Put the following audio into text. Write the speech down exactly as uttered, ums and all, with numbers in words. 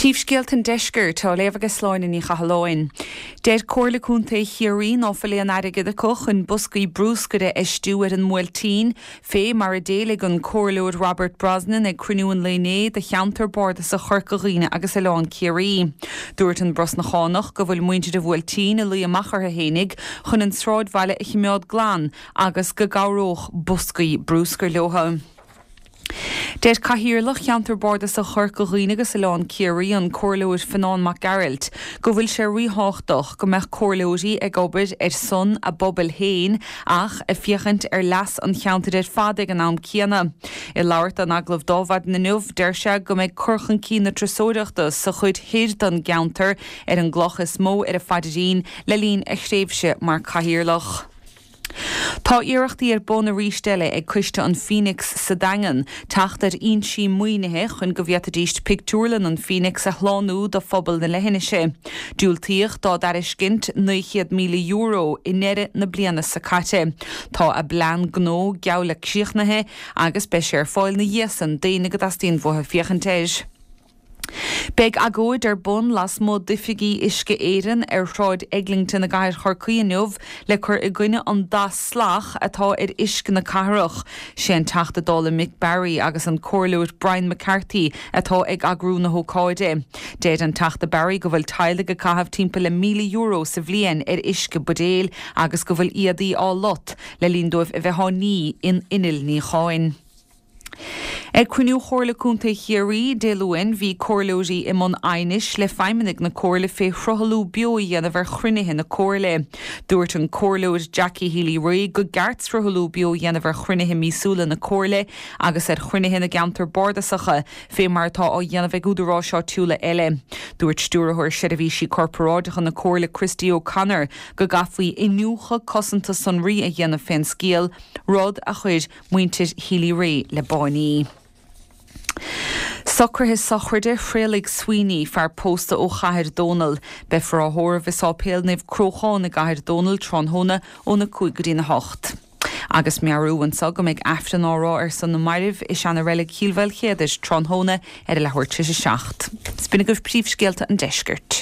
Príomhscéalta an Deiscirt á léamh ag Sláine Ní Chathalláin. Deir Comhairle Contae Chiarraí ná fuil aon airgead acu chun boscaí bruscair a fheistiú ar an mBuailtín, fé mar a d'éiligh an Comhairleoir Robert Brosnan ag cruinniú an lae inné de cheantar bardasach Chorca Dhuibhne agus Oileán Ciarraí. Dúirt an Brosnachánach go bhfuil muintir an Bhuailtín ag luí amach orthu fhéinig chun an sráidbhaile a chimeád glan agus go gcabhródh boscaí bruscair leo. Deir Cathaoirleach Cheantar Bardasach Chorca Dhuibhne agus Oileán Ciarraí an Comhairleoir Fionán Mac Gearailt go bhfuil sé ríthábhachtach go mbeadh comhairleoirí ag obair ar son a bpobail féin ach ag féachaint ar leas an cheantair ar fad ag an am céanna. I labhairt in agallamh do Adhmhaidin inniu, deir sé go mbeidh cur chun cinn na turasóireachta sa chuid thoir den gceantar ar an gcloch is mó ar a phaidrín le linn a thréimhse mar chathaoirleach. Tá iarrachtaí ar bun arís eile ag Coiste an Phoenix sa Daingean teacht ar fhoinsí maoinithe chun go bhféadfaidís pictiúrlann an Phoenix a shlánú do phobal na leithinise. Diúltaíodh dá dtairiscint naoi chéad míle euro i ndeireadh na bliana seo caite. Tá a bplean gnó geall le críochnaithe agus beidh sé ar fáil ina dhiaidh san d'éinne go dteastaíonn uathu féachaint air. Beidh agóid ar bun lasmuigh d'oifigí Uisce Éireann ar Shráid Eglinton i gcathair Chorcaí inniu le cur i gcoinne an dath salach atá ar uisce na cathrach. Sé an Teachta Dála Mick Barry agus an Comhairleoir Brian McCarthy atá ag eagrú na hócáide. Deir an Teachta Barry go bhfuil teaghlaigh ag caitheamh timpeall le míle euro sa bhliain ar uisce buidéil agus go bhfuil éadaí á lot le linn dóibh a bheith á ní in innill níocháin. Ag cruinniú Chomhairle Contae Chiarraí Dé Luain bhí comhairleoirí i mbun aighnis le feidhmeannaigh na Comhairle fé shruthlú beo a dhéanamh ar chruinnithe na Comhairle. Dúirt an Comhairleoir Jackie Healy-Rae gur cheart sruthlú beo a dhéanamh ar chruinnithe míosúla na Comhairle agus ar chruinnithe na gceantar bardasacha fé mar atá á dhéanamh ag údaráis áitiúla eile. Dúirt Stiúrthóir Seirbhísí Corparáideacha na Comhairle Christy O'Connor go gcaithfí iniúchadh cosanta sonraí a dhéanamh fén scéal, rud a chuir muintir Healy-Rae le báiní. Socruithe sochraide Thraolaigh Sweeney, fear pósta ó Chathair Dónall. Beifear á thórramh i Sáipéal Naomh Cróchán i gCathair Dónall tráthnóna óna cúig go dtína hocht. Agus meabhrú anseo go mbeidh Aifreann á rá ar son na mairbh i seana-reilig Chill Mhaoilchéadair tráthnóna ar a leathuair tar éis a seacht. B'in agaibh príomhscéalta an deiscirt.